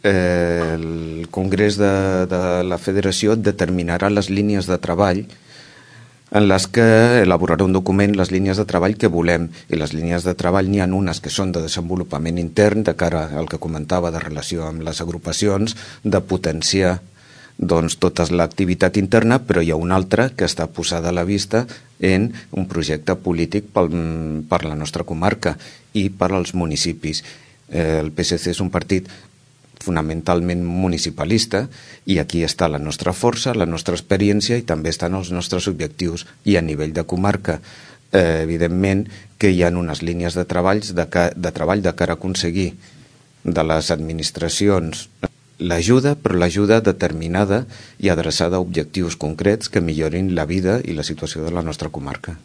el Congrés de la Federació determinarà les línies de treball en les que elaborarà un document, les línies de treball que volem. I les línies de treball n'hi ha unes que són de desenvolupament intern, de cara al que comentava de relació amb les agrupacions, de potenciar tota l'activitat interna, però hi ha una altra que està posada a la vista en un projecte polític per la nostra comarca i per als municipis. El PSC és un partit fonamentalment municipalista i aquí està la nostra força, la nostra experiència i també estan els nostres objectius. I a nivell de comarca, evidentment que hi ha unes línies de treball de cara a aconseguir de les administracions l'ajuda, però l'ajuda determinada i adreçada a objectius concrets que millorin la vida i la situació de la nostra comarca.